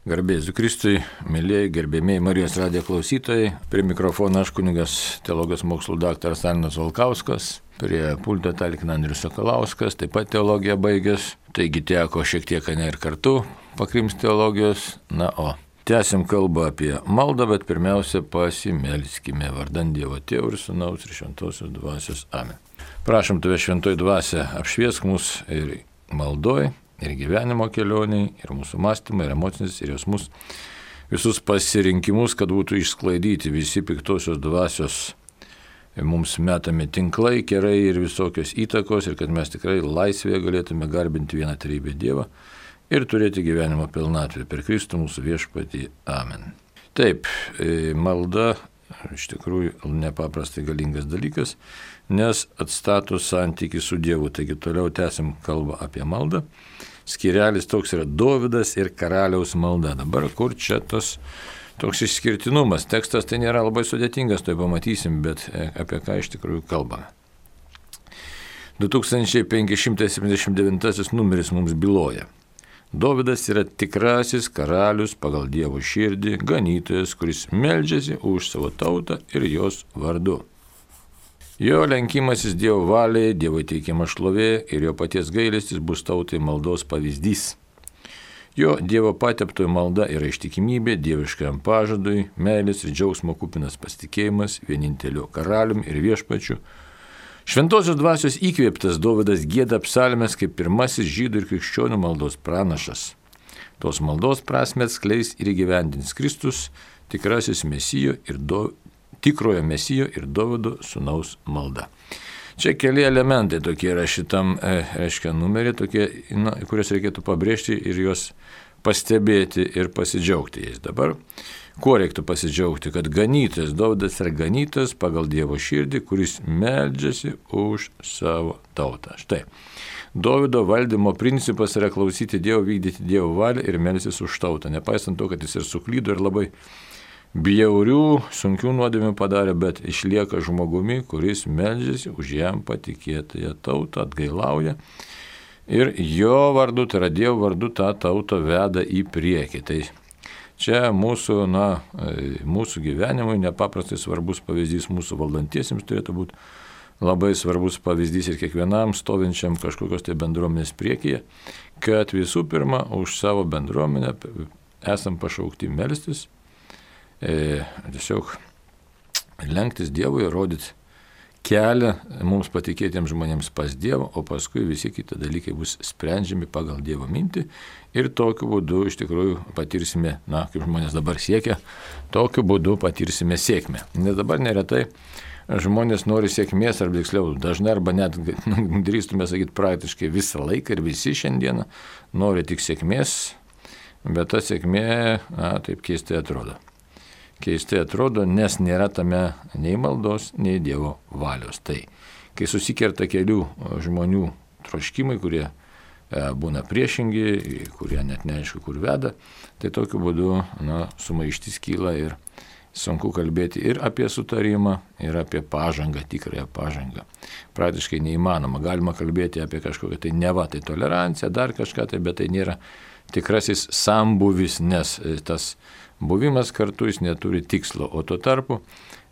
Garbėsiu Kristui, mėlyjei, gerbėmiai Marijos radijo klausytojai. Prie mikrofono aš kunigas teologijos mokslų daktaras Arnas Valkauskas, prie pulto talkina Andrius Sakalauskas, taip pat teologiją baigęs. Taigi teko šiek tiek ir kartu pakrimsti teologijos. O tęsim kalbą apie maldą, bet pirmiausia pasimelskime vardan Dievo Tėvo ir Sūnaus ir Šventosios Dvasios. Amen. Prašom Tave, Šventoji Dvasia, apšviesk mus ir maldoj, ir gyvenimo kelioniai, ir mūsų mąstymai, ir emocinis, ir jausmus, visus pasirinkimus, kad būtų išsklaidyti visi piktosios dvasios mums metami tinklai, kerai ir visokios įtakos, ir kad mes tikrai laisvėje galėtume garbinti vieną trejybę Dievą ir turėti gyvenimo pilnatvę per Kristų mūsų viešpatį. Amen. Taip, malda iš tikrųjų nepaprastai galingas dalykas, nes atstato santykį su Dievu. Taigi toliau tęsim kalbą apie maldą. Skirelis toks yra Dovydas ir karaliaus malda. Dabar kur čia toks išskirtinumas? Tekstas tai nėra labai sudėtingas, tai pamatysim, bet apie ką iš tikrųjų kalbame. 2579 numeris mums byloja. Dovydas yra tikrasis karalius pagal Dievo širdį, ganytojas, kuris meldžiasi už savo tautą ir jos vardu. Jo lenkimasis Dievo valiai, Dievo teikiama šlovė ir jo paties gailestis bus tautai maldos pavyzdys. Jo Dievo pateptoji malda yra ištikimybė dieviškajam pažadui, meilės ir džiaugsmo kupinas pasitikėjimas vieninteliu karalium ir viešpačiu. Šventosios dvasios įkvėptas Dovydas gieda psalmes kaip pirmasis žydų ir krikščionių maldos pranašas. Tos maldos prasmę atskleis ir įgyvendins Kristus, tikrasis tikrojo Mesijo ir Dovydo sūnaus malda. Čia keli elementai tokie yra šitam, numerį, tokie, kuriuos reikėtų pabrėžti ir juos pastebėti ir pasidžiaugti jais. Dabar, kuo reiktų pasidžiaugti, kad ganytojas, Dovydas yra ganytojas pagal Dievo širdį, kuris meldžiasi už savo tautą. Štai, Dovydo valdymo principas yra klausyti Dievo, vykdyti Dievo valią ir melstis už tautą. Nepaisant to, kad jis ir suklydo ir labai bjaurių, sunkių nuodėmių padarė, bet išlieka žmogumi, kuris meldžiasi už jam patikėtąją tautą, atgailauja. Ir jo vardu, tai yra Dievo vardu, tą tautą veda į priekį. Tai čia mūsų gyvenimui nepaprastai svarbus pavyzdys, mūsų valdantiesiems turėtų būti labai svarbus pavyzdys ir kiekvienam stovinčiam kažkokios tai bendruomenės priekyje, kad visų pirma už savo bendruomenę esam pašaukti melstis, tiesiog lenktis Dievui ir rodyti kelią mums patikėtiems žmonėms pas Dievą, o paskui visi kiti dalykai bus sprendžiami pagal Dievo mintį ir tokiu būdu iš tikrųjų patirsime, kaip žmonės dabar siekia, tokiu būdu patirsime sėkmę. Nes dabar neretai žmonės nori sėkmės, arba tiksliau dažnai, arba net drįstume sakyti praktiškai visą laiką ir visi šiandieną nori tik sėkmės, bet ta sėkmė, taip keistai atrodo. Keistai atrodo, nes nėra tame nei maldos, nei Dievo valios. Tai, kai susikerta kelių žmonių troškimai, kurie būna priešingi, kurie net neaišku, kur veda, tai tokiu būdu sumaištis kyla ir sunku kalbėti ir apie sutarimą, ir apie pažangą, tikrąją pažangą. Praktiškai neįmanoma. Galima kalbėti apie kažkokią tai neva, tai toleranciją, dar kažką, tai, bet tai nėra tikrasis sambuvis, nes tas buvimas kartu jis neturi tikslo, o tuo tarpu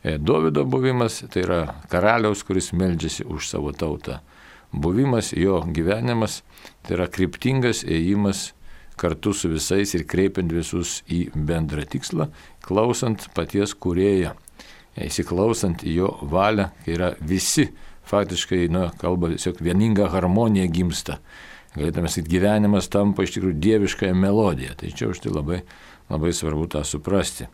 Dovydo buvimas tai yra karaliaus, kuris meldžiasi už savo tautą. Buvimas, jo gyvenimas tai yra kryptingas ėjimas kartu su visais ir kreipiant visus į bendrą tikslą, klausant paties kūrėjo, įsiklausant į jo valią, kai yra visi faktiškai, kalba tiesiog vieninga harmonija gimsta. Galėtume sakyti, gyvenimas tampa iš tikrųjų dieviškąją melodiją. Tai čia už tai labai svarbu tą suprasti.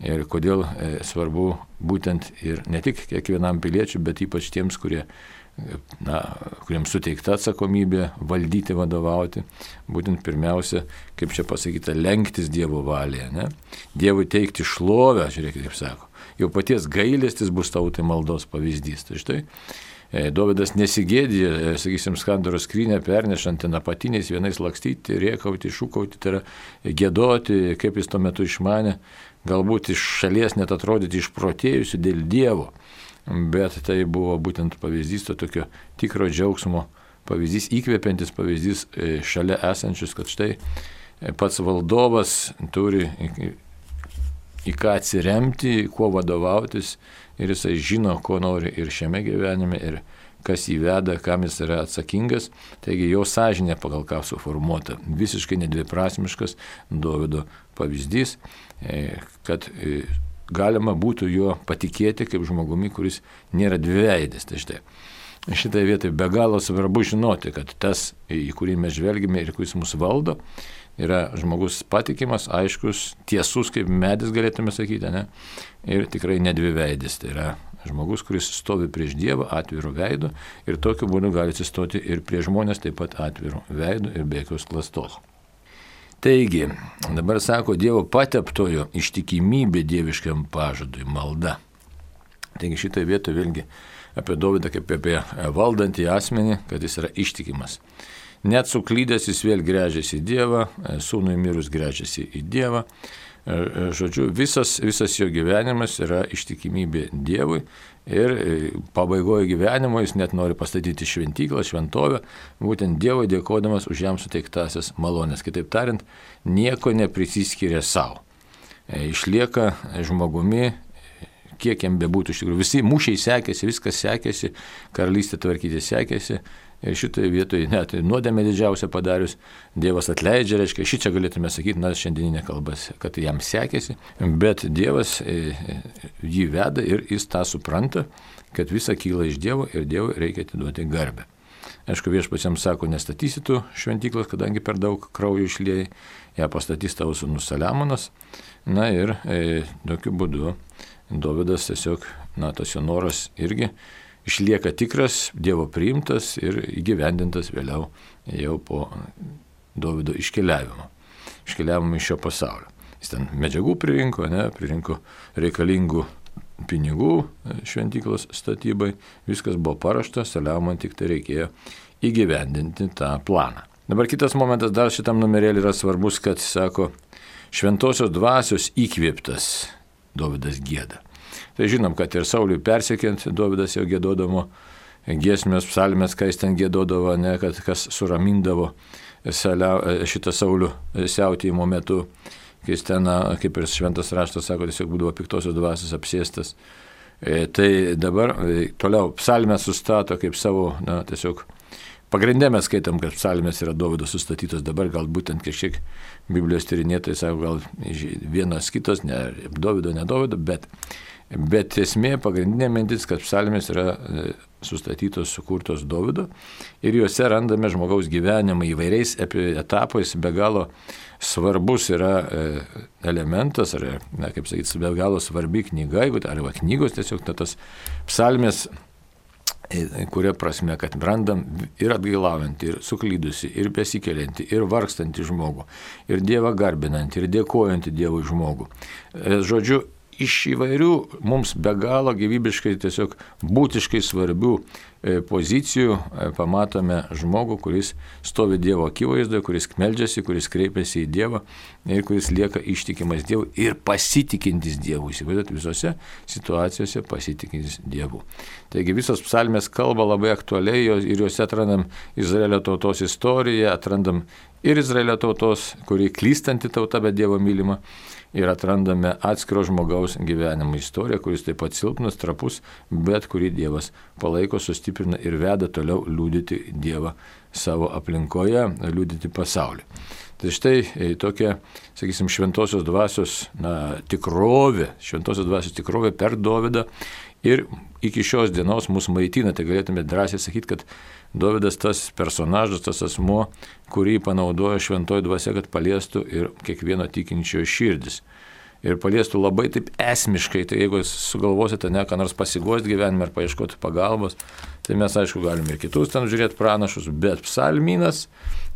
Ir kodėl svarbu būtent ir ne tik kiekvienam piliečiui, bet ypač tiems, kuriems suteikta atsakomybė valdyti, vadovauti, būtent pirmiausia, kaip čia pasakyta, lenktis Dievo valėje. Ne? Dievui teikti šlovę, žiūrėkit, kaip sako. Jau paties gailestis bus tautai maldos pavyzdys. Tai štai Dovydas nesigėdė, sakysim, skandaro skrynę pernešant ten apatiniais vienais lakstyti, rėkauti, šūkauti, tai yra gėdoti, kaip jis tuo metu išmanė, galbūt iš šalies net atrodyti išprotėjusiu dėl Dievo, bet tai buvo būtent pavyzdys to tokio tikro džiaugsmo pavyzdys, įkvepiantis pavyzdys šalia esančius, kad štai pats valdovas turi į ką atsiremti, kuo vadovautis ir jisai žino, ko nori ir šiame gyvenime, ir kas jį veda, kam jis yra atsakingas. Taigi jo sąžinė pagal ką suformuota. Visiškai nedviprasmiškas Dovydo pavyzdys, kad galima būtų juo patikėti kaip žmogumi, kuris nėra dviveidis. Tai štai. Šitai vietai be galo svarbu žinoti, kad tas, į kurį mes žvelgime ir kuris mus valdo, yra žmogus patikimas, aiškus, tiesus, kaip medis galėtume sakyti, ne? Ir tikrai nedviveidis. Tai yra žmogus, kuris stovi prieš Dievą atviru veidu ir tokiu būdu gali atsistoti ir prie žmonės taip pat atviru veidu ir be jokios klastos. Taigi, dabar sako Dievo pateptojo ištikimybė dieviškam pažadui, malda. Taigi šitai vietoje vėlgi apie Dovydą kaip apie valdantį asmenį, kad jis yra ištikimas. Net suklydęs jis vėl gręžiasi į Dievą, sūnui mirus gręžiasi į Dievą. Žodžiu, visas jo gyvenimas yra ištikimybė Dievui ir pabaigoje gyvenimo jis net nori pastatyti šventyklą, šventovę, būtent Dievui dėkodamas už jam suteiktasias malonės. Kitaip tariant, nieko neprisiskiria savo. Išlieka žmogumi, kiek jam bebūtų iš tikrųjų. Visi mūšiai sekėsi, viskas sekėsi, karalystė tvarkyti sekėsi. Ir šitoje vietoje net nuodėmę didžiausią padarius, Dievas atleidžia, reiškia, šičia galėtume sakyti, šiandieninė kalba, kad jam sekėsi, bet Dievas jį veda ir jis tą supranta, kad visa kyla iš Dievo ir Dievui reikia atiduoti garbę. Aišku, viešpats jam sako, nestatysi tu šventyklos, kadangi per daug kraujo išliejai, ją pastatys tavo sūnus Saliamonas. Na ir tokiu būdu Dovydas tiesiog, tas jo noras irgi išlieka tikras, Dievo priimtas ir įgyvendintas vėliau jau po Dovydo iškeliavimo iš šio pasaulio. Jis ten medžiagų pririnko reikalingų pinigų šventyklos statybai, viskas buvo paruošta, Saliamonui tik tai reikėjo įgyvendinti tą planą. Dabar kitas momentas dar šitam numerėlį yra svarbus, kad sako, šventosios dvasios įkvėptas Dovydas gieda. Tai žinom, kad ir Sauliui persekiant, Dovydas jau giedodavo giesmės, psalmės, kai jis ten giedodavo, kad kas suramindavo šitą Saulių siautėjimo metu, kai jis ten, kaip ir šventas raštas sako, tiesiog būdavo piktosios dvasios apsėstas. Tai dabar toliau psalmės sustato kaip savo, tiesiog pagrindė mes skaitom, kad psalmės yra Dovydo sustatytos, dabar gal būtent kažkiek Biblijos tyrinėtojai sako, gal vienas kitas, ne Dovydo, bet esmė, pagrindinė mintis, kad psalmės yra sustatytos, sukurtos Dovydo ir juose randame žmogaus gyvenimą įvairiais etapais, be galo svarbus yra elementas, ar, kaip sakyti, be galo svarbi knyga, arba knygos tiesiog tas psalmės, kuria prasme, kad randam ir atgailaujantį, ir suklydusį, ir besikeliantį, ir vargstantį žmogų, ir Dievą garbinantį, ir dėkojantį Dievui žmogų. Žodžiu, iš įvairių mums be galo gyvybiškai, tiesiog būtiškai svarbių pozicijų pamatome žmogų, kuris stovi Dievo akivaizdoje, kuris meldžiasi, kuris kreipiasi į Dievą ir kuris lieka ištikimas Dievui ir pasitikintis Dievu. Įsivaizduot, visose situacijose pasitikintis Dievu. Taigi visos psalmės kalba labai aktualiai ir juose atrandam Izraelio tautos istoriją, atrandam ir Izraelio tautos, kuri klystanti tauta, bet Dievo mylima. Ir atrandame atskiro žmogaus gyvenimo istoriją, kuris taip pat silpnas, trapus, bet kurį Dievas palaiko, sustiprina ir veda toliau liudyti Dievą savo aplinkoje, liudyti pasaulį. Tai štai tokia, sakysim, šventosios dvasios tikrovė per Dovydą ir iki šios dienos mus maitina. Tai galėtume drąsiai sakyti, kad Dovydas tas personažas, tas asmuo, kurį panaudojo šventoji dvasia, kad paliestų ir kiekvieno tikinčiojo širdis. Ir paliestų labai taip esmiškai, tai jeigu sugalvosite ką nors pasiguosti gyvenime ar paieškoti pagalbos, tai mes aišku galime ir kitus ten žiūrėti pranašus, bet psalmynas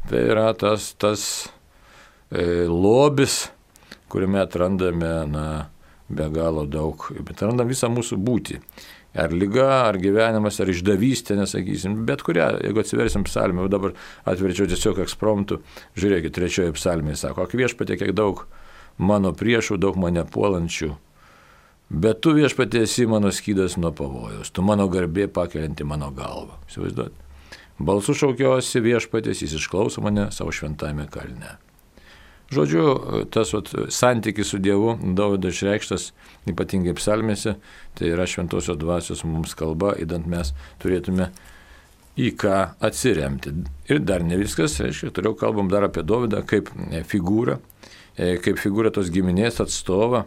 tai yra tas lobis, kuriame atrandame be galo daug, bet atrandam visą mūsų būtį. Ar lyga, ar gyvenimas, ar išdavystė, nesakysim, bet kurią, jeigu atsiversim psalmę, dabar atverčiau tiesiog ekspromtu, žiūrėkit, 3 psalmėje sako, ak viešpatie, kiek daug mano priešų, daug mane puolančių, bet tu viešpatie esi mano skydas nuo pavojaus, tu mano garbė pakelianti mano galvą. Įsivaizduot. Balsu šaukiuosi viešpatės, jis išklauso mane savo šventame kalne. Žodžiu, tas santykis su Dievu Dovydo išreikštas ypatingai psalmėse, tai yra šventosios dvasios mums kalba, idant mes turėtume į ką atsiremti. Ir dar ne viskas, reiškia, toliau kalbam dar apie Dovydą kaip figūrą tos giminės atstovą,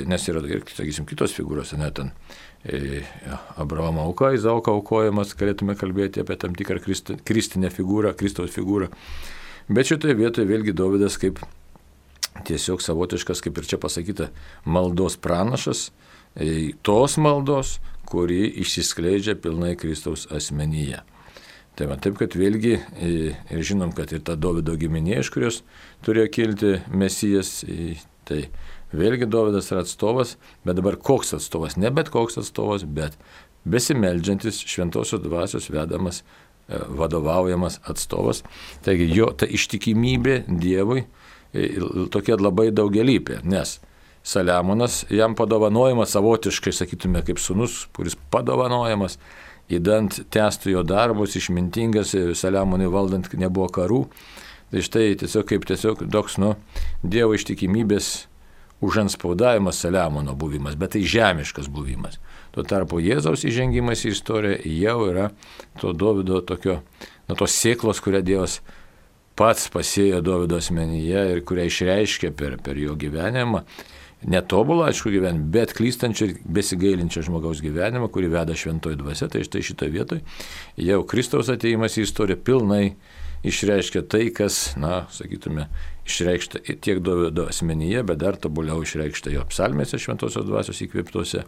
nes yra ir, sakysim, kitos figūros, net ten Abraomo auka, Izaoko aukojimas, galėtume kalbėti apie tam tikrą kristinę figūrą, Kristaus figūrą. Bet šitoje vietoje vėlgi Dovydas kaip tiesiog savotiškas, kaip ir čia pasakyta, maldos pranašas, tos maldos, kuri išsiskleidžia pilnai Kristaus asmenyje. Tai va, taip, kad vėlgi ir žinom, kad ir ta Dovydo giminė, iš kurios turėjo kilti Mesijas, tai vėlgi Dovydas yra atstovas, bet dabar koks atstovas? Ne bet koks atstovas, bet besimeldžiantis šventosios dvasios vedamas, vadovaujamas atstovas. Taigi jo ta ištikimybė Dievui tokia labai daugialypė, nes Saliamonas jam padovanojamas savotiškai, sakytume, kaip sūnus, kuris padovanojamas, įdant tęstų jo darbus, išmintingas, Saliamonui valdant nebuvo karų. Tai štai tiesiog toks Dievo ištikimybės užanspaudavimas Saliamono buvimas, bet tai žemiškas buvimas. Tuo tarpu Jėzaus įžengimas į istoriją jau yra to Dovydo tokio, tos sėklos, kurią Dievas pats pasėjo Dovydo asmenyje ir kurią išreiškė per jo gyvenimą. Netobulą, aišku, gyvenimą, bet klystančią ir besigailinčią žmogaus gyvenimą, kurį veda šventoji dvasia. Tai štai šitoje vietoje jau Kristaus atėjimas į istoriją pilnai išreiškia tai, kas, sakytume, išreikšta tiek Dovydo asmenyje, bet dar tobuliau išreikšta jo psalmėse šventosios dvasios įkvėptose.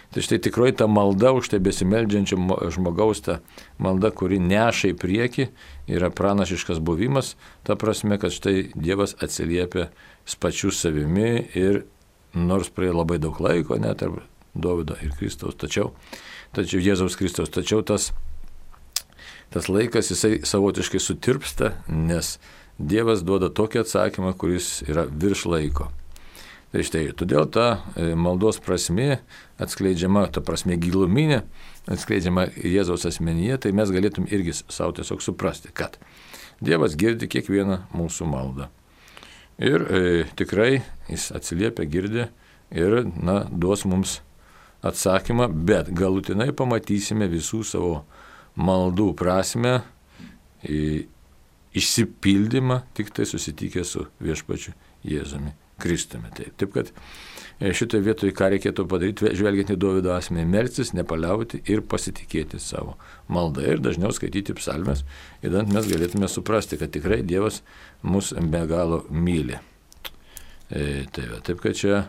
Tai štai tikrai ta malda už tai besimeldžiančio žmogaus, ta malda, kuri neša į priekį, yra pranašiškas buvimas, ta prasme, kad štai Dievas atsiliepia pačiu savimi ir nors praėjo labai daug laiko, net tarp Dovydo ir Kristaus, tačiau Jėzaus Kristaus, tačiau tas laikas jisai savotiškai sutirpsta, nes Dievas duoda tokį atsakymą, kuris yra virš laiko. Tai štai, todėl ta maldos prasmė atskleidžiama, ta prasmė giluminė, atskleidžiama Jėzaus asmenyje, tai mes galėtum irgi savo tiesiog suprasti, kad Dievas girdi kiekvieną mūsų maldą. Ir tikrai jis atsiliepia, girdi ir duos mums atsakymą, bet galutinai pamatysime visų savo maldų prasmę, išsipildymą tik tai susitikę su viešpačiu Jėzumi Kristumi. Taip kad šitoje vietoje ką reikėtų padaryti, žvelgiant į Dovydo asmenį, melstis, nepaliauti ir pasitikėti savo maldą ir dažniau skaityti psalmes, idant mes galėtume suprasti, kad tikrai Dievas mus be galo myli. Taip kad čia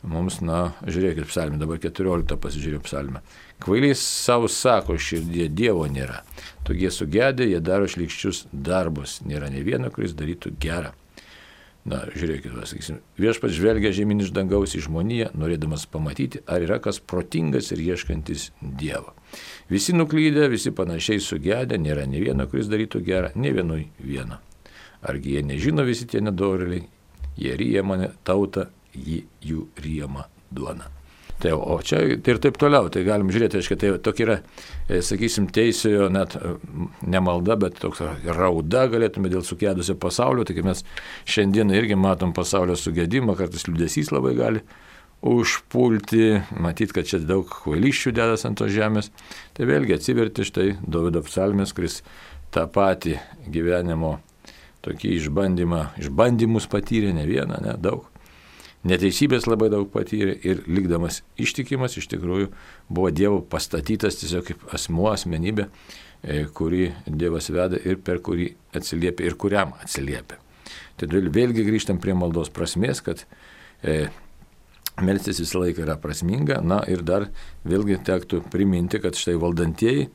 mums, žiūrėkit psalmę, dabar 14 pasižiūrėjau psalmę. Kvailiai savo sako širdie, Dievo nėra. Tokie sugedę, jie daro šlykščius darbus. Nėra nei vieno, kuris darytų gerą. Žiūrėkit, sakysim, viešpats žvelgia žemyn iš dangaus į žmoniją, norėdamas pamatyti, ar yra kas protingas ir ieškantis Dievo. Visi nuklydę, visi panašiai sugedę, nėra nei vieno, kuris darytų gerą, nei vienui vieno. Argi jie nežino visi tie nedorėliai, jie ryja mane tautą, jų ryjama duona. O čia ir taip toliau, tai galim žiūrėti, aiškiai, tai tokia yra, sakysim, teisėjo net ne malda, bet toks rauda galėtume dėl sugedusio pasaulio, tai mes šiandien irgi matom pasaulio sugedimą, kartais liūdesys labai gali užpulti, matyt, kad čia daug kvailysčių dedas ant tos žemės, tai vėlgi atsiverti štai Dovydo psalmės, kuris tą patį gyvenimo tokį išbandymus patyrė, ne vieną, ne daug. Neteisybės labai daug patyrė ir likdamas ištikimas iš tikrųjų buvo Dievo pastatytas tiesiog kaip asmenybė, kurį Dievas veda ir per kurį atsiliepia ir kuriam atsiliepia. Tai vėlgi grįžtam prie maldos prasmės, kad melstis visą laiką yra prasminga, ir dar vėlgi tektų priminti, kad štai valdantieji,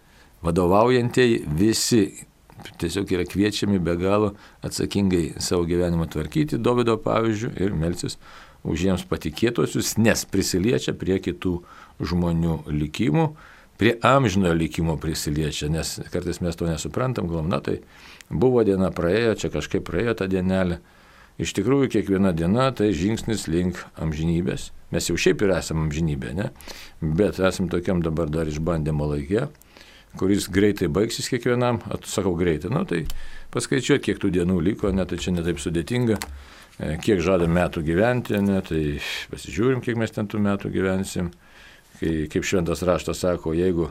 vadovaujantieji visi tiesiog yra kviečiami be galo atsakingai savo gyvenimą tvarkyti Dovydo pavyzdžių ir melstis už jiems patikėtosius, nes prisiliečia prie kitų žmonių likimų, prie amžinojo likimo prisiliečia, nes kartais mes to nesuprantam, galvom, tai buvo diena praėjo, čia kažkaip praėjo ta dienelė. Iš tikrųjų, kiekviena diena tai žingsnis link amžinybės. Mes jau šiaip ir esame amžinybė, ne? Bet esam tokiam dabar dar išbandymo laike, kuris greitai baigsis kiekvienam, sakau greitai, tai paskaičiuoti, kiek tų dienų liko, tai čia netaip sudėtinga, kiek žada metų gyventi, tai pasižiūrim, kiek mes ten tų metų gyvensim. Kaip šventas raštas sako, jeigu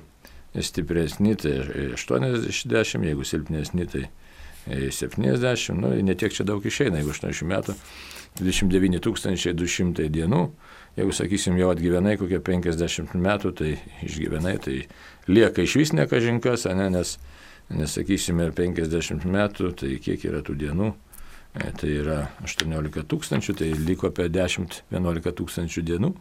stipresni, tai 80, jeigu silpnesni, tai 70, netiek čia daug išeina, jeigu 80 metų, 29 200 dienų, jeigu, sakysim, jau atgyvenai kokie 50 metų, tai išgyvenai, tai lieka iš vis nekažinkas, nes, sakysime, 50 metų, tai kiek yra tų dienų, tai yra 18 000, tai liko apie 10-11 000 dienų.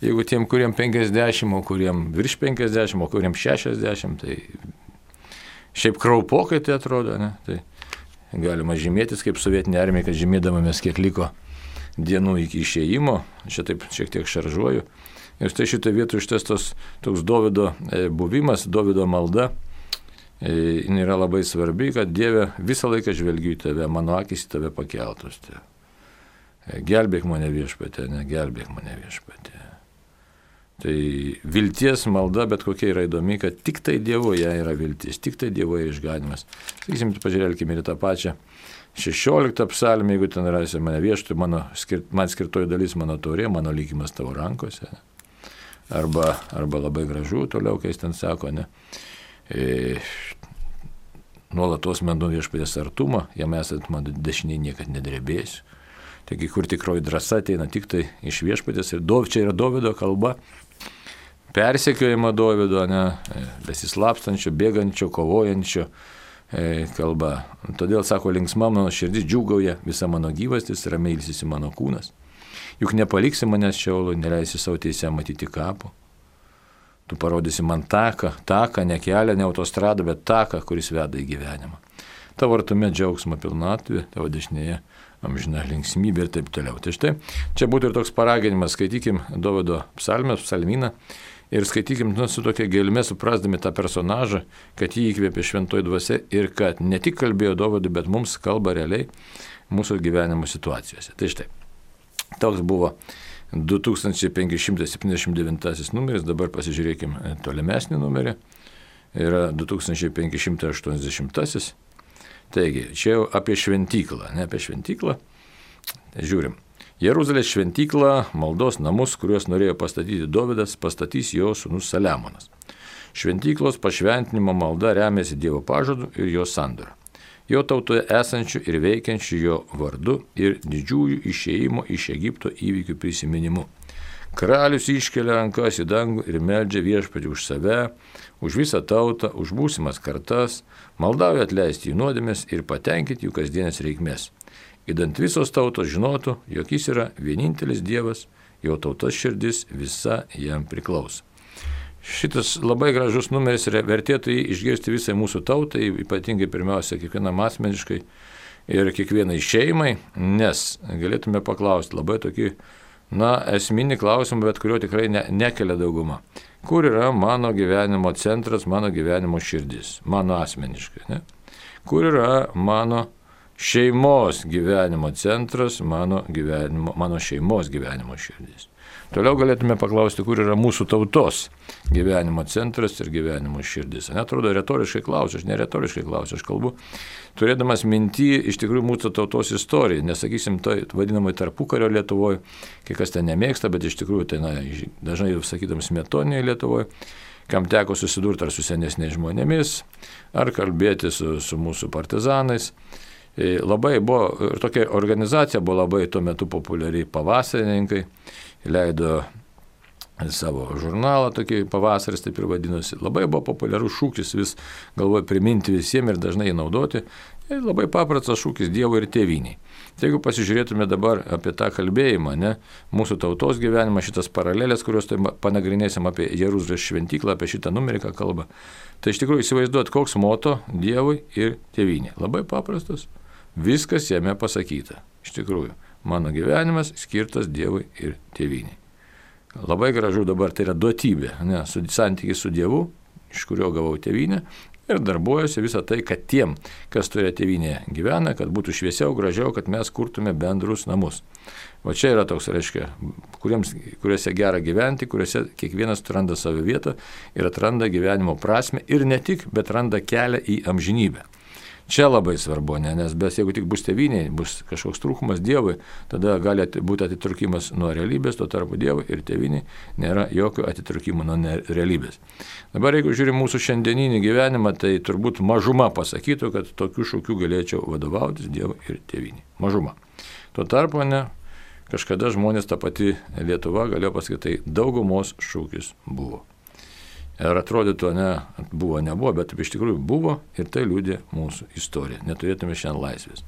Jeigu tiem, kuriem 50, o kuriem virš 50, o kuriem 60, tai šiaip kraupokai tai atrodo, tai galima žymėtis kaip sovietinė armija, kad žymėdamomės, kiek liko dienų iki išėjimo, čia taip šiek tiek šaržuoju. Ir štai šitoje vietoje šitas toks Dovydo buvimas, Dovydo malda, yra labai svarbi, kad Dieve visą laiką žvelgiu į tave, mano akis į tave pakeltos. Gelbėk mane viešpatie, gelbėk mane viešpatie. Tai vilties malda, bet kokia yra įdomi, kad tik tai Dievoje yra viltis, tik tai Dievoje išganimas. Sakysim, pažiūrėkime ir tą pačią 16 psalmę, jeigu ten rasi mane vieštu, man skirtoji dalis mano taurė, mano likimas tavo rankose. Arba labai gražu toliau, kai jis ten sako, nuolatos mendu viešpatės artumą, jam esant mano dešiniai niekad nedrebėsiu. Taigi, kur tikroji drąsa ateina tik tai iš viešpatės, ir čia yra Dovydo kalba, persekiojimo Dovydo, besislapstančio, bėgančio, kovojančio kalba. Todėl, sako, linksma mano širdis džiūgauja, visa mano gyvastis, ramiai ilsisi mano kūnas. Juk nepaliksi manęs Šeolui, neleisi savo teisę matyti kapų. Tu parodysi man taką, ne kelią, ne autostradą, bet taką, kuris veda į gyvenimą. Tavo artume džiaugsmo pilnatvė, tavo dešinėje amžina linksmybė ir taip toliau. Tai štai, čia būtų ir toks paraginimas, skaitykim Dovydo psalmyną ir skaitykim su tokia gelme, suprasdami tą personažą, kad jį įkvėpė šventoji dvasia ir kad ne tik kalbėjo Dovydui, bet mums kalba realiai mūsų gyvenimo situacijose. Tai štai, toks buvo 2579 numeris, dabar pasižiūrėkim tolimesnį numerį, yra 2580. Taigi, čia jau apie šventyklą, ne apie šventyklą. Tai žiūrim. Jeruzalės šventyklą, maldos namus, kuriuos norėjo pastatyti Dovydas, pastatys jo sūnus Saliamonas. Šventyklos pašventinimo malda remiasi Dievo pažadu ir jo sandora. Jo tautoje esančių ir veikiančių jo vardu ir didžiųjų išėjimo iš Egipto įvykių prisiminimu. Karalius iškelia rankas į dangų ir meldžia viešpatį už save, už visą tautą, už būsimas kartas, maldauja atleisti jų nuodėmes ir patenkinti jų kasdienės reikmės. Idant visos tautos žinotų, jog jis yra vienintelis Dievas, jo tautos širdis visa jam priklauso. Šitas labai gražus numeris ir vertėtų jį išgirsti visai mūsų tautai, ypatingai pirmiausia kiekvienam asmeniškai ir kiekvienai šeimai, nes galėtume paklausti labai tokį esminį klausimą, bet kurio tikrai nekelia dauguma. Kur yra mano gyvenimo centras, mano gyvenimo širdis, mano asmeniškai, ne? Kur yra mano šeimos gyvenimo centras, mano šeimos gyvenimo širdis. Toliau galėtume paklausti, kur yra mūsų tautos gyvenimo centras ir gyvenimo širdis. Netrodo, retoriškai klausiu, aš neretoriškai klausiu, aš kalbu, turėdamas mintį iš tikrųjų mūsų tautos istoriją, nesakysim, tai vadinamai tarpukario Lietuvoje, kai kas ten nemėgsta, bet iš tikrųjų tai dažnai sakytam smetonėje Lietuvoje, kam teko susidurti ar su senesniais žmonėmis, ar kalbėti su mūsų partizanais. Labai buvo, ir tokia organizacija buvo labai tuo metu populiari, pavasarininkai, leido savo žurnalą, tokį pavasaris taip ir vadinosi. Labai buvo populiarus šūkis, vis galvoju priminti visiems ir dažnai jį naudoti. Ir labai paprastas šūkis Dievui ir tėvynei. Tai jeigu pasižiūrėtume dabar apie tą kalbėjimą, mūsų tautos gyvenimą, šitas paralelės, kuriuos tai panagrinėsim apie Jeruzalės šventyklą, apie šitą numerį, ką kalba, tai iš tikrųjų įsivaizduot, koks moto Dievui ir tėvynei. Labai paprastas. Viskas jame pasakyta. Iš tikrųjų, mano gyvenimas skirtas Dievui ir tėvynei. Labai gražu dabar tai yra duotybė, santykis su Dievu, iš kurio gavau tėvynę, ir darbuojasi visą tai, kad tiem, kas toje tėvynėje gyvena, kad būtų šviesiau, gražiau, kad mes kurtume bendrus namus. Va čia yra toks, reiškia, kuriuose gera gyventi, kuriuose kiekvienas atranda savo vietą ir atranda gyvenimo prasmę ir ne tik, bet randa kelią į amžinybę. Čia labai svarbu, nes jeigu tik bus tėvynėje, bus kažkoks trūkumas Dievui, tada gali būti atitraukimas nuo realybės, tuo tarpu Dievui ir tėvynėje nėra jokio atitraukimo nuo realybės. Dabar jeigu žiūrim mūsų šiandieninį gyvenimą, tai turbūt mažuma pasakytų, kad tokių šūkių galėčiau vadovautis Dievui ir tėvynėje. Mažuma. Tuo tarpu kažkada žmonės, ta pati Lietuva, galėjo pasakyti, tai daugumos šūkis buvo. Ir atrodytų, nebuvo, bet iš tikrųjų buvo ir tai liudė mūsų istorija. Neturėtume šiandien laisvės.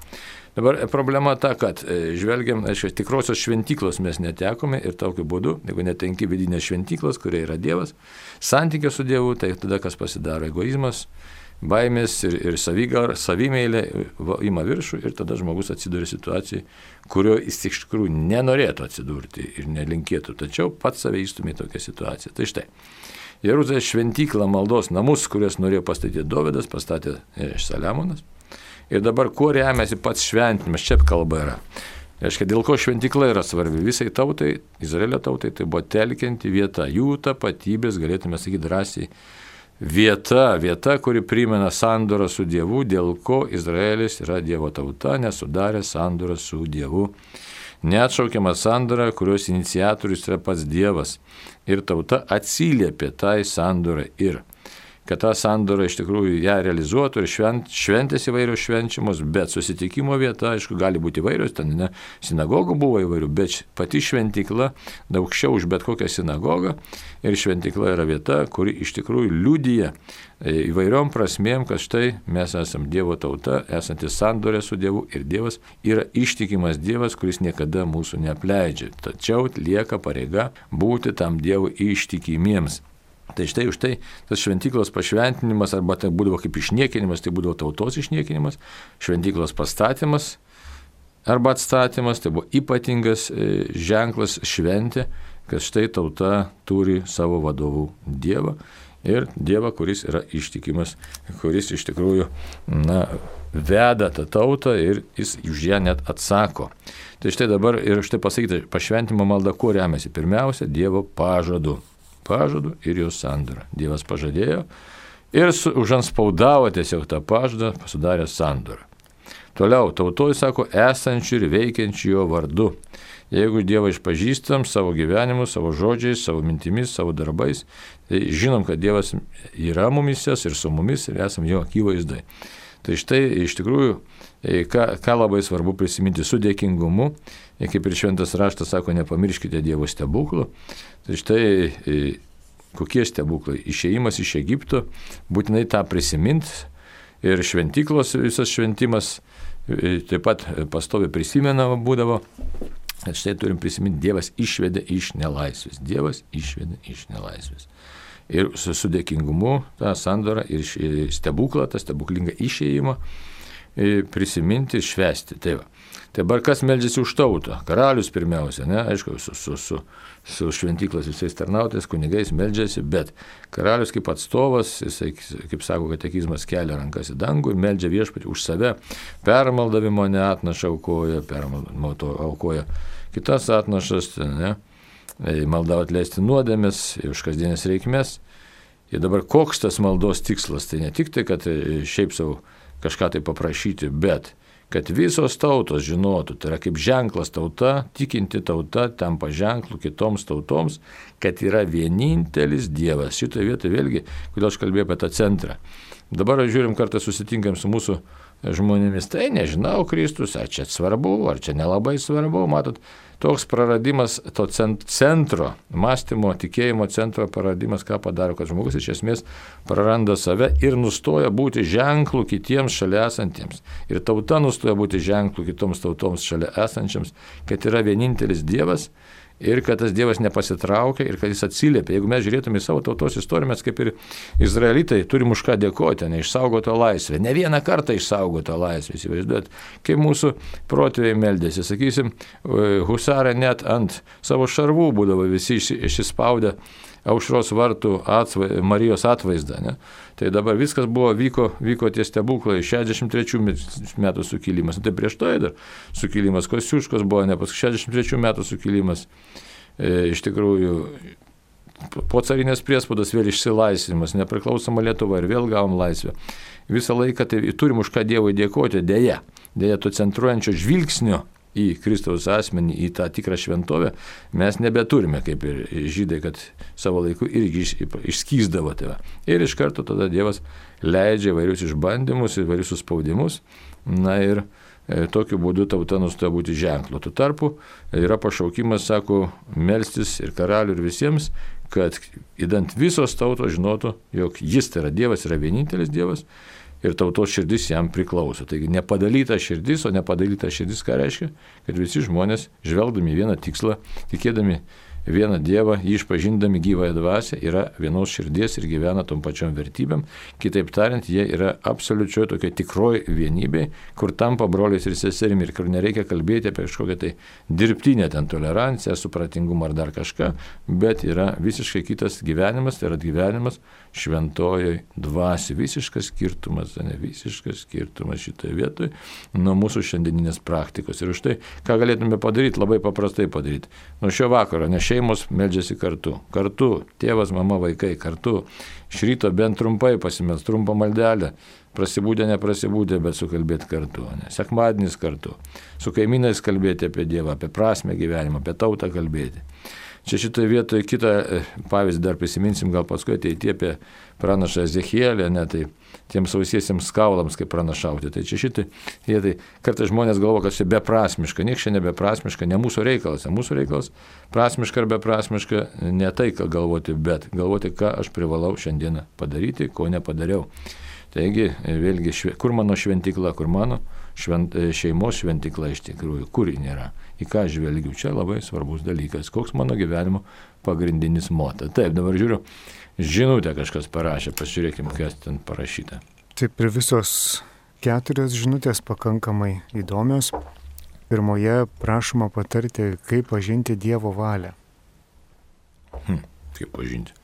Dabar problema ta, kad žvelgiam, tikrosios šventyklos mes netekome ir tokiu būdu, jeigu netenki vidinės šventyklos, kuria yra Dievas, santykė su Dievu, tai tada kas pasidaro egoizmas, baimės ir savimeilė ima viršų ir tada žmogus atsiduria situacijai, kurio jis iš tikrųjų nenorėtų atsidurti ir nelinkėtų, tačiau pats save įstumė į tokią situaciją. Tai štai. Jeruzalės šventyklą maldos namus, kurias norėjo pastatyti Dovydas, pastatė Saliamonas. Ir dabar kuo remiasi pats šventinimas, čia kalba yra. Reiškia, dėl ko šventykla yra svarbi visai tautai, Izraelio tautai, tai buvo telkianti vieta, jų tapatybės, galėtume sakyti drąsiai, vieta, kuri primena sandorą su Dievu, dėl ko Izraelis yra Dievo tauta, nesudarė sandorą su Dievu. Neatšaukiama sandora, kurios iniciatorius yra pats Dievas. Ir tauta atsiliepė tai sandorai ir kad tą sandorą iš tikrųjų ją realizuotų ir šventės įvairios švenčiamos, bet susitikimo vieta, aišku, gali būti įvairios, ten sinagogų buvo įvairių, bet pati šventykla aukščiau už bet kokią sinagogą ir šventykla yra vieta, kuri iš tikrųjų liudija įvairiom prasmėm, kad štai mes esam Dievo tauta, esantis sandorė su Dievu ir Dievas yra ištikimas Dievas, kuris niekada mūsų neapleidžia. Tačiau lieka pareiga būti tam Dievui ištikimiems. Tai štai už tai tas šventyklos pašventinimas arba tai būdavo kaip išniekinimas, tai būdavo tautos išniekinimas, šventyklos pastatymas arba atstatymas, tai buvo ypatingas ženklas šventė, kad štai tauta turi savo vadovų Dievą ir Dievą, kuris yra ištikimas, kuris iš tikrųjų veda tą tautą ir jis už ją net atsako. Tai štai dabar ir štai pasakyti, pašventimo malda kuo remiasi? Pirmiausia, Dievo pažadu ir jos sandorą. Dievas pažadėjo ir užanspaudavo tiesiog tą pažadą, sudarė sandorą. Toliau, tautoje sako, esančių ir veikiančių jo vardu. Jeigu Dievą išpažįstam savo gyvenimu, savo žodžiais, savo mintimis, savo darbais, tai žinom, kad Dievas yra mumisės ir su mumis ir esam jo akivaizdai. Tai štai iš tikrųjų, ką labai svarbu prisiminti su dėkingumu, kaip ir šventas raštas sako, nepamirškite Dievo stebuklų. Tai štai kokie stebuklai? Išėjimas iš Egipto, būtinai tą prisimint ir šventyklos visas šventimas taip pat pastovi prisimenama būdavo. Štai turim prisiminti, Dievas išvedė iš nelaisvės. Dievas išvedė iš nelaisvės. Ir su dėkingumu tą sandorą ir stebuklą, tą stebuklingą išėjimą prisiminti ir švęsti. Tai va. Tai dabar kas meldžiasi už tautą? Karalius pirmiausia, aišku, su šventyklos visais tarnautais, kunigais meldžiasi, bet karalius kaip atstovas, jisai, kaip sako katekizmas, kelia rankas į dangų ir meldžia viešpatį už save. Permaldavimo neatnaša aukoja, aukoja kitas atnašas, malda atleisti nuodėmes, už kasdienės reikmes. Ir dabar koks tas maldos tikslas? Tai ne tik tai, kad šiaip savo kažką tai paprašyti, bet kad visos tautos žinotų, tai yra kaip ženklas tauta, tikinti tauta tampa ženklu kitoms tautoms, kad yra vienintelis Dievas. Šitoje vietoje vėlgi, kodėl aš kalbėjau apie tą centrą. Dabar žiūrim, kartą susitinkam su mūsų žmonėmis, tai nežinau, Kristus, ar čia svarbu, ar čia nelabai svarbu, matot, toks praradimas to centro, mąstymo, tikėjimo centro praradimas, ką padaro, kad žmogus iš esmės praranda save ir nustoja būti ženklų kitiems šalia esantiems. Ir tauta nustoja būti ženklų kitoms tautoms šalia esančiams, kad yra vienintelis Dievas ir kad tas Dievas nepasitraukia ir kad jis atsiliepia. Jeigu mes žiūrėtume į savo tautos istoriją, mes kaip ir izraelitai turim už ką dėkoti, neišsaugotą laisvę. Ne vieną kartą išsaugotą laisvę, įsivaizduojat, kaip mūsų protėviai meldėsi. Sakysim, husarai net ant savo šarvų būdavo visi išsispaudę aušros vartų Marijos atvaizdą. Ne? Tai dabar viskas vyko tie stebuklai, 63 metų sukilimas, tai prieš to dar sukilimas, Kosciuškos buvo, ne paskui 63 metų sukilimas, iš tikrųjų po carinės priespaudos vėl išsilaisvinimas, nepriklausoma Lietuva ir vėl gavom laisvę. Visą laiką tai turim už ką Dievui dėkoti, dėja to centruojančio žvilgsnio į Kristaus asmenį, į tą tikrą šventovę, mes nebeturime, kaip ir žydai, kad savo laiku irgi išskysdavo tave. Ir iš karto tada Dievas leidžia įvairius išbandymus, įvairius suspaudimus, na ir tokiu būdu tauta nustoja būti ženklu. Tuo tarpu yra pašaukimas, sako, melstis ir karalių ir visiems, kad įdant visos tautos žinotų, jog jis tai yra Dievas, yra vienintelis Dievas ir tautos širdis jam priklauso. Taigi nepadalyta širdis, o nepadalyta širdis ką reiškia? Kad visi žmonės žvelgdami vieną tikslą, tikėdami vieną Dievą, jį išpažindami gyvąją dvasią, yra vienos širdies ir gyvena tom pačiom vertybėm. Kitaip tariant, jie yra absoliučioj tokia tikroji vienybė, kur tampa broliais ir seserimi ir kur nereikia kalbėti apie kažkokią tai dirbtinę ten toleranciją, supratingumą ar dar kažką, bet yra visiškai kitas gyvenimas, tai yra gyvenimas šventojoj dvasiai. Visiškas skirtumas šitoje vietoje nuo mūsų šiandieninės praktikos. Ir už tai, ką galėtume padaryti, labai paprastai padaryti. Nuo šio vakaro, nes šeimos meldžiasi kartu. Kartu, tėvas, mama, vaikai, kartu. Iš ryto bent trumpai pasimels, trumpą maldelę. Prasibūdė, neprasibūdė, bet sukalbėti kartu. Ne? Sekmadienis kartu. Su kaimynais kalbėti apie Dievą, apie prasmę gyvenimą, apie tautą kalbėti. Čia šitoje vietoje kitą pavyzdį dar prisiminsim, gal paskui ateityje apie pranašą Ezechielį, ne, tai tiems sausiesiems kaulams kaip pranašauti. Tai čia šitai vietai kartais žmonės galvo, kad čia beprasmiška, nieks čia nebeprasmiška, ne mūsų reikalas. Mūsų reikalas prasmiška ar beprasmiška, ne tai, ką galvoti, bet galvoti, ką aš privalau šiandieną padaryti, ko nepadariau. Taigi, vėlgi, kur mano šventikla, kur mano šeimos šventikla iš tikrųjų, kur ji nėra, į ką žvelgiu, čia labai svarbus dalykas, koks mano gyvenimo pagrindinis moto. Taip, dabar žiūriu, žinutę kažkas parašė, pasižiūrėkim, kas ten parašyta. Taip, ir visos 4 žinutės pakankamai įdomios. Pirmoje prašoma patarti, kaip pažinti Dievo valią. Kaip pažinti?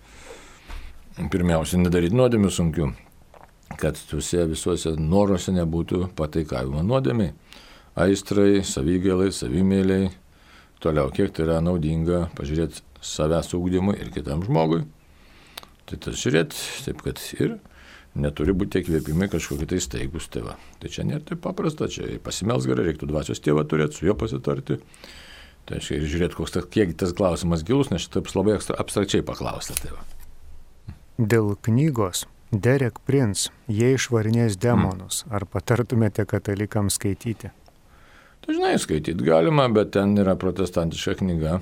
Pirmiausia, nedaryti nuodėmių sunkių, kad tuose visuose noruose nebūtų pataikavimo nuodėmiai, aistrai, savigailai, savimėliai, toliau, kiek tai yra naudinga pažiūrėti savęs ugdymui ir kitam žmogui. Tai tas žiūrėti, taip kad ir neturi būti tie kvėpimai kažkokie tai staigus tėva. Tai čia nėra taip paprasta, čia pasimels gerai, reiktų dvasios tėvą turėti, su juo pasitarti. Tai aiškiai ir žiūrėti, kiek tas klausimas gilus, nes šitaip labai abstrakčiai paklausta tėva. Dėl knygos Derek Prince, jie išvarinės demonus. Ar patartumėte katalikams skaityti? Tai žinai, skaityti galima, bet ten yra protestantiška knyga.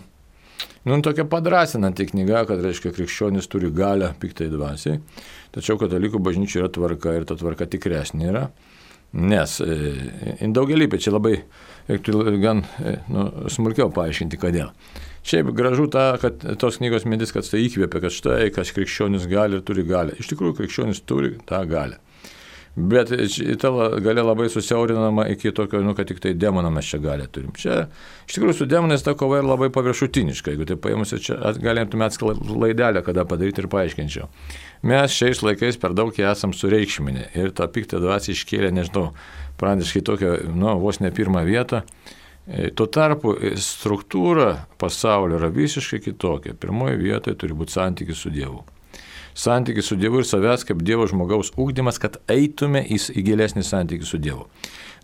Tokia padrasinanti knyga, kad reiškia krikščionis turi galią piktai dvasiai. Tačiau katalikų bažnyčia yra tvarka ir ta tvarka tikresnė yra. Nes daugelįpė čia labai gan smulkiau paaiškinti, kodėl. Šiaip gražu kad tos knygos mintis, kad tai įkvėpia, kad štai, kas krikščionis gali ir turi galę. Iš tikrųjų, krikščionis turi tą galę. Bet ta galia labai susiaurinama iki tokio, kad tik tai demoną mes čia galę turim. Čia, iš tikrųjų, su demonais ta kova yra labai paviršutiniška. Jeigu tai paėmus, čia galėtume atskirą laidelę, kada padaryti ir paaiškinčiau. Mes šiais laikais per daug esam sureikšminę ir tą piktą dvasią iškėlė, nežinau, praneškai tokią, vos ne pirmą vietą. Tuo tarpu struktūra pasaulio yra visiškai kitokia. Pirmoje vietoje turi būti santykis su Dievu. Santykis su Dievu ir savęs kaip Dievo žmogaus ugdymas, kad eitume į gilesnį santykį su Dievu.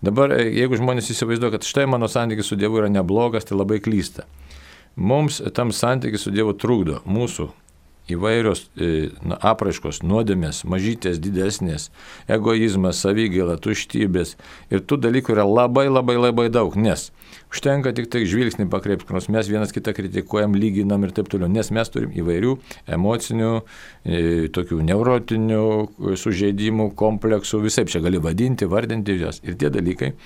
Dabar, jeigu žmonės įsivaizduoja, kad štai mano santykis su Dievu yra neblogas, tai labai klysta. Mums tam santykis su Dievu trukdo mūsų įvairios apraiškos, nuodėmės, mažytės, didesnės, egoizmas, savigaila, tuštybės. Ir tų dalykų yra labai daug, nes užtenka tik tai žvilgsnį pakreipti, nors mes vienas kitą kritikuojam, lyginam ir taip toliau, nes mes turim įvairių emocinių, tokių neurotinių sužeidimų, kompleksų, visai čia gali vadinti, vardinti jas. Ir tie dalykai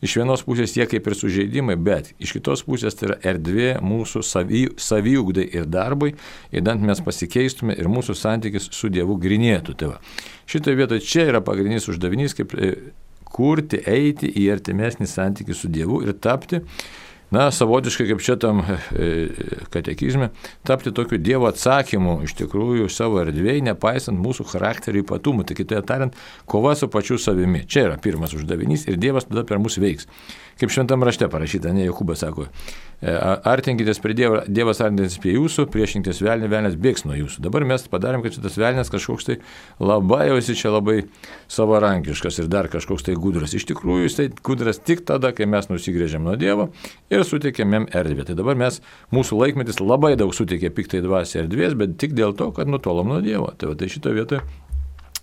iš vienos pusės jie kaip ir sužeidimai, bet iš kitos pusės tai yra erdvė mūsų saviugdai ir darbui, įdant mes pasikeistume ir mūsų santykis su Dievu grinėtų. Tai šitoje vietoje čia yra pagrindinis uždavinys, kaip kurti, eiti į artimesnį santykį su Dievu ir tapti savotiškai kaip čia tam katekizme, tapti tokiu Dievo atsakymu iš tikrųjų savo erdvėje, nepaisant mūsų charakterio ypatumų. Tai kitaip tariant, kova su pačiu savimi. Čia yra pirmas uždavinys ir Dievas tada per mus veiks. Kaip šventam rašte parašyta, Jokūbas sako, artinkitės prie Dievo, Dievas artinkitės prie jūsų, priešinkitės velnį, velnės bėgs nuo jūsų. Dabar mes padarėm, kad šitas velnės kažkoks tai labai jau esi čia labai savarankiškas ir dar kažkoks tai gudras. Iš tikrųjų, jis tai gudras tik tada, kai mes nusigrėžiam nuo Dievo ir suteikėm jam erdvę. Tai dabar mūsų laikmetis labai daug suteikė piktai dvasiai erdvės, bet tik dėl to, kad nutolom nuo Dievo. Tai šito vietoje,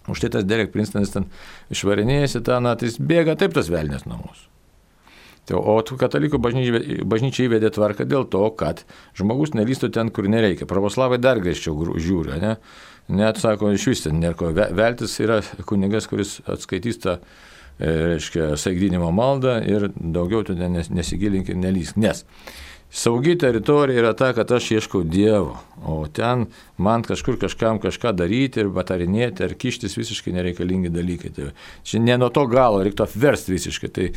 už tai tas Derek Princetonas ten išvarinėjasi, tai jis bėga taip tas velnės nuo mūsų. O katalikų bažnyčia įvedė tvarką dėl to, kad žmogus nelystų ten, kur nereikia. Pravoslavai dar griežčiau žiūri, ne? Net sako, iš vis ten nieko. Veltis yra kunigas, kuris atskaitys tą, saigdinimo maldą ir daugiau tu nesigilink ir nelysk. Nes saugi teritorija yra ta, kad aš ieškau Dievo, o ten man kažkam kažką daryti ir patarinėti ar kištis visiškai nereikalingi dalykai. Tai čia ne nuo to galo, reiktų apversti visiškai. Tai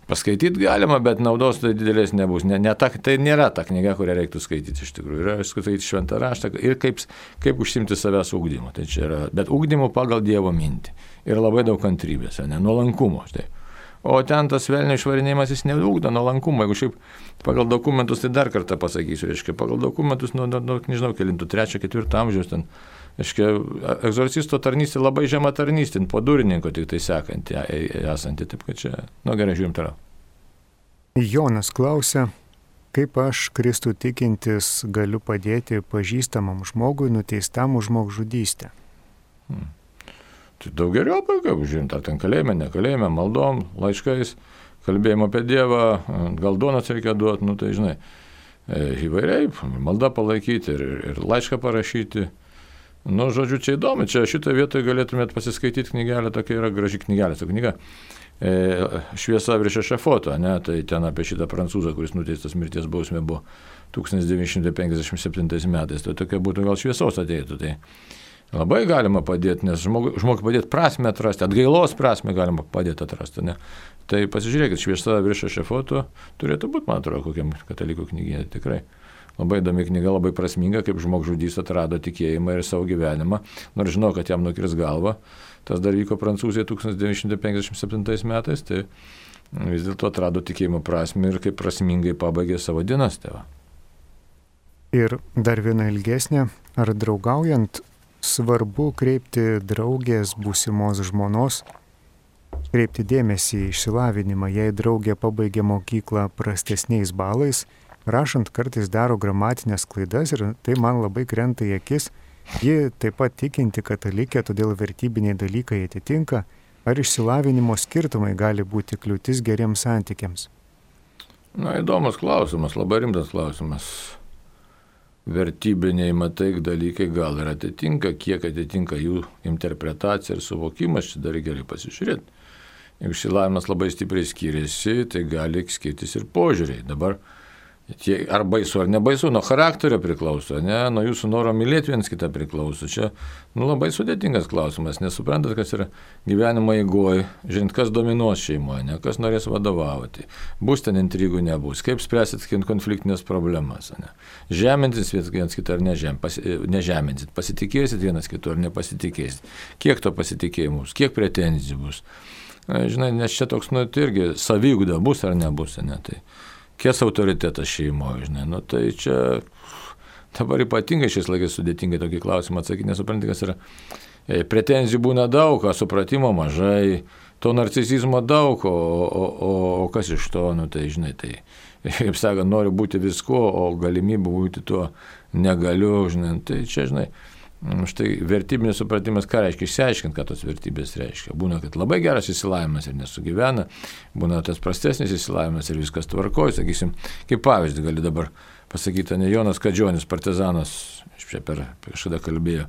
paskaityti galima, bet naudos tai didelės nebus. Tai nėra ta knyga, kurią reiktų skaityti iš tikrųjų. Yra skaityti šventą raštą ir kaip užsimti savęs ugdymu. Tai čia yra, bet ugdymu pagal Dievo mintį. Ir labai daug kantrybės, nuolankumo. Štai. O ten tas velnio išvarinėjimas jis neugdo nuolankumo. Jeigu šiaip pagal dokumentus, tai dar kartą pasakysiu, pagal dokumentus, nežinau, kelintų, 3-4 amžiaus ten, egzorcisto tarnystė labai žema tarnystė, po durininko tik tai sekanti esanti, taip kad čia, gerai, žiūrim toliau. Jonas klausia, kaip aš, Kristų tikintis, galiu padėti pažįstamam žmogui nuteistam už žmogžudystę? Tai daug geriau, kaip žiūrint, ar ten kalėjime, nekalėjime, maldom, laiškais, kalbėjimo apie Dievą, gal duonos reikia duoti, tai žinai, įvairiai, maldą palaikyti ir laišką parašyti. Žodžiu, čia įdomu, čia šitoje vietoje galėtumėt pasiskaityti knygelę, tokia yra graži knygelė, ta knyga Šviesa virš ešafoto, tai ten apie šitą prancūzą, kuris nuteistas mirties bausmė buvo 1957 metais, tai tokia būtų gal šviesos ateitų, tai labai galima padėti, nes žmogui padėti prasme atrasti, atgailos prasme galima padėti atrasti, ne? Tai pasižiūrėkit, Šviesa virš ešafoto turėtų būti, man atrodo, kokiam katalikų knyginė, tikrai. Labai įdomi knyga, labai prasminga, kaip žmogžudys atrado tikėjimą ir savo gyvenimą, nors žinau, kad jam nukirs galvą. Tas dar vyko Prancūzijoje 1957 metais, tai vis dėlto atrado tikėjimo prasmę ir kaip prasmingai pabaigė savo dienas tėvą. Ir dar viena ilgesnė, ar draugaujant svarbu kreipti draugės būsimos žmonos, kreipti dėmesį į išsilavinimą, jei draugė pabaigė mokyklą prastesniais balais, rašant kartais daro gramatinės klaidas ir tai man labai krenta į akis. Ji taip pat tikinti katalikė, todėl vertybiniai dalykai atitinka. Ar išsilavinimo skirtumai gali būti kliūtis geriems santykiams? Įdomus klausimas, labai rimtas klausimas. Vertybiniai dalykai gal ir atitinka, kiek atitinka jų interpretacija ir suvokimas, čia dar gerai pasižiūrėti. Jeigu išsilavinimas labai stipriai skiriasi, tai gali skirtis ir požiūriai. Dabar ar baisu, ar nebaisu, nuo charakterio priklauso, nuo jūsų noro mylėti viens kitą priklauso. Čia labai sudėtingas klausimas, nesuprantat, kas yra gyvenimo eigoje, žinot, kas dominuos šeimoje, kas norės vadovauti, bus ten intrigų, nebus, kaip spręsit konfliktinės problemas, žeminsit viens kitą ar nežeminsit, pasitikėsit vienas kitu ar nepasitikėsit, kiek to pasitikėjimo bus, kiek pretenzijų bus. Žinai, nes čia toks, tai irgi saviugda bus ar nebus, tai kies autoritetas šeimoje, tai čia dabar ypatingai šiais laikais sudėtingai tokį klausimą atsakyti, nesupranti, kas yra. Pretenzijų būna daug, supratimo mažai, to narcisizmo daug, o kas iš to, tai žinai, tai, kaip sakant, noriu būti visko, o galimybę būti tuo negaliu, tai čia, žinai, štai vertybinis supratimas, ką reiškia, išsiaiškint, ką tos vertybės reiškia. Būna, kad labai geras išsilavinimas ir nesugyvena, būna tas prastesnis išsilavinimas ir viskas tvarkoja, sakysim, kaip pavyzdį gali dabar pasakyti, Jonas Kadžionis, partizanas, kažkada kalbėjo,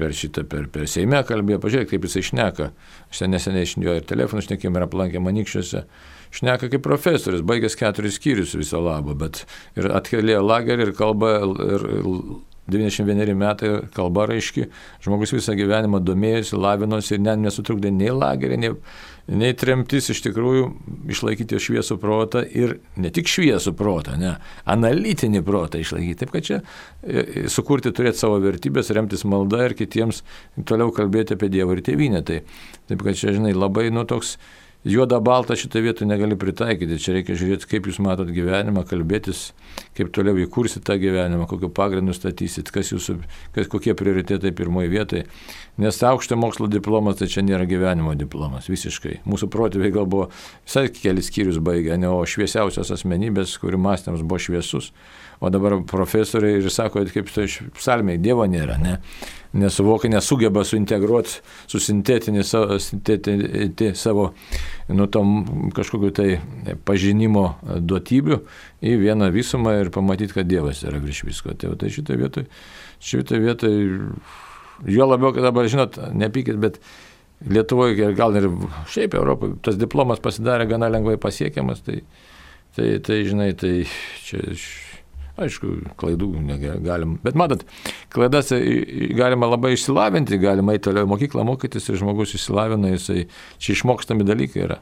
per Seime kalbėjo, pažiūrėk, kaip jisai šneka, aš neseniai iš jo ir telefonų šnekėjom ir aplankė Manikščiuose, šneka kaip profesorius, baigęs 4 skyrius viso labo, bet ir atkėlėjo lagerį ir kalba ir 91 metai, kalba raiški, žmogus visą gyvenimą domėjosi, lavinosi ir net nesutrukdė nei lagerį, nei tremtis iš tikrųjų išlaikyti šviesų protą ir ne tik šviesų protą, ne, analitinį protą išlaikyti. Taip, kad čia sukurti, turėti savo vertybės, remtis malda ir kitiems toliau kalbėti apie Dievą ir tėvynę. Taip, kad čia, žinai, labai toks juoda balta šitą vietą negali pritaikyti. Čia reikia žiūrėti, kaip jūs matot gyvenimą, kalbėtis, kaip toliau įkursit tą gyvenimą, kokiu pagrindu statysit, kokie prioritetai pirmoje vietoje. Nes aukšto mokslo diplomas tai čia nėra gyvenimo diplomas, visiškai. Mūsų protėviai gal buvo visai kelis skyrius baigę, o šviesiausios asmenybės, kurių mąstymas buvo šviesus. O dabar profesoriai ir sako, kaip tai psalmėje, Dievo nėra, ne? Nesuvokia, nesugeba suintegruoti, susintetinti savo tom kažkokiu tai pažinimo duotybių į vieną visumą ir pamatyti, kad Dievas yra virš visko. Tai šitoje vietoje, jo labiau, kad dabar, žinot, nepykit, bet Lietuvoje, gal ir šiaip Europoje, tas diplomas pasidarė gana lengvai pasiekiamas, tai žinai, tai čia... Aišku, klaidų negalim, bet matot, klaidas galima labai išsilavinti, galima eiti toliau mokyklą mokytis ir žmogus išsilavina, jisai čia išmokstami dalykai yra.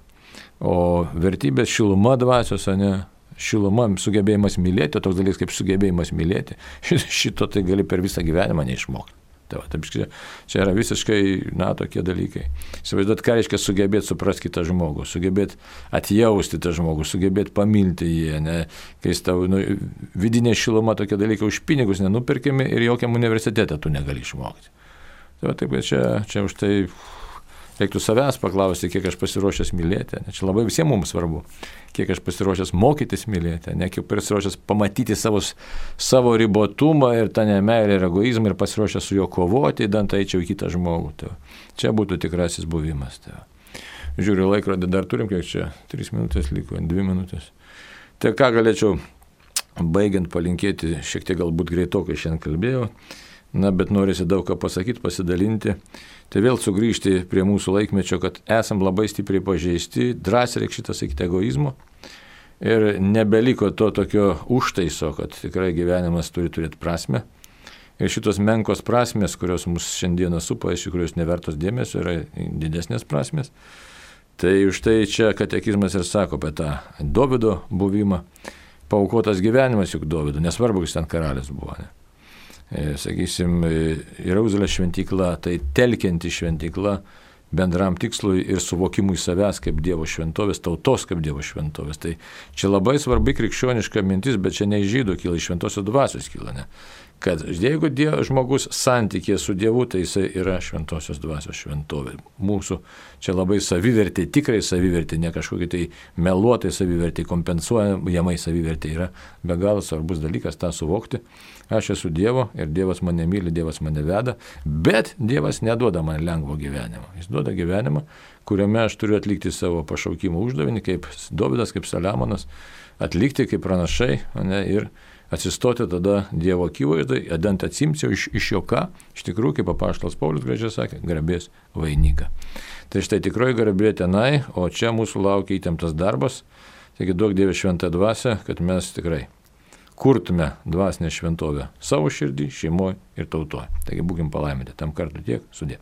O vertybės šiluma dvasios, ne, šiluma, sugebėjimas mylėti, toks dalykas kaip sugebėjimas mylėti, šito tai gali per visą gyvenimą neišmokti. Taip, čia yra visiškai, tokie dalykai. Įsivaizduot, ką reiškia sugebėti suprasti kitą žmogų, sugebėti atjausti tą žmogų, sugebėti pamilti jį, ne, kai tau vidinė šiluma, tokie dalykai už pinigus nenupirkimi ir jokiam universitete tu negali išmokti. Taip, čia už tai reiktų savęs paklausti, kiek aš pasiruošęs mylėti. Ne, čia labai visiems mums svarbu, kiek aš pasiruošęs mokytis mylėti, ne, kiek pasiruošęs pamatyti savo ribotumą ir tą nemeilę ir egoizmą ir pasiruošęs su juo kovoti, idant eičiau į kitą žmogų. Čia būtų tikrasis buvimas. Žiūriu laikrodį, dar turim, kiek čia, 3 minutės liko, 2 minutės. Tai ką galėčiau baigiant palinkėti, šiek tiek galbūt greitokai šiandien kalbėjau, bet norisi daug ką pasakyti, pasidalinti. Tai vėl sugrįžti prie mūsų laikmečio, kad esam labai stipriai pažeisti, drąsiai reikia šitą sakyti egoizmo. Ir nebeliko to tokio užtaiso, kad tikrai gyvenimas turi turėti prasme. Ir šitos menkos prasmės, kurios mus šiandieną supa, iš tikrųjų nevertos dėmesio, yra didesnės prasmės. Tai už tai čia katekizmas ir sako apie tą Dovydo buvimą. Paaukotas gyvenimas juk Dovydo, nesvarbu, jis ten karalius buvo. Ne? Sakysim, Jeruzalės šventykla, tai telkianti šventykla bendram tikslui ir suvokimui savęs kaip Dievo šventovės, tautos kaip Dievo šventovės. Tai čia labai svarbi krikščioniška mintis, bet čia ne iš žydų kyla, iš šventosios dvasios kyla, ne? Kad jeigu žmogus santykė su Dievu, tai jisai yra šventosios dvasios šventovė. Mūsų čia labai savivertė, tikrai savivertė, ne kažkokie tai meluotai savivertė, kompensuojamai savivertė yra be galo svarbus dalykas tą suvokti. Aš esu Dievo ir Dievas mane myli, Dievas mane veda, bet Dievas neduoda man lengvo gyvenimo. Jis duoda gyvenimą, kuriame aš turiu atlikti savo pašaukimo uždavinį, kaip Dovydas, kaip Saliamonas, atlikti kaip pranašai, ne, ir atsistoti tada Dievo akivaizdai, adant atsimsiu iš jo ką, iš tikrųjų, kaip apaštalas Paulius gražiai sakė, garbės vainiką. Tai štai tikroji garbė tenai, o čia mūsų laukia įtemptas darbas, taigi duok Dieve šventą dvasią, kad mes tikrai kurtume dvasinę šventovę savo širdį, šeimoje ir tautoje. Taigi būkim palaiminti, tam kartu tiek, sudė.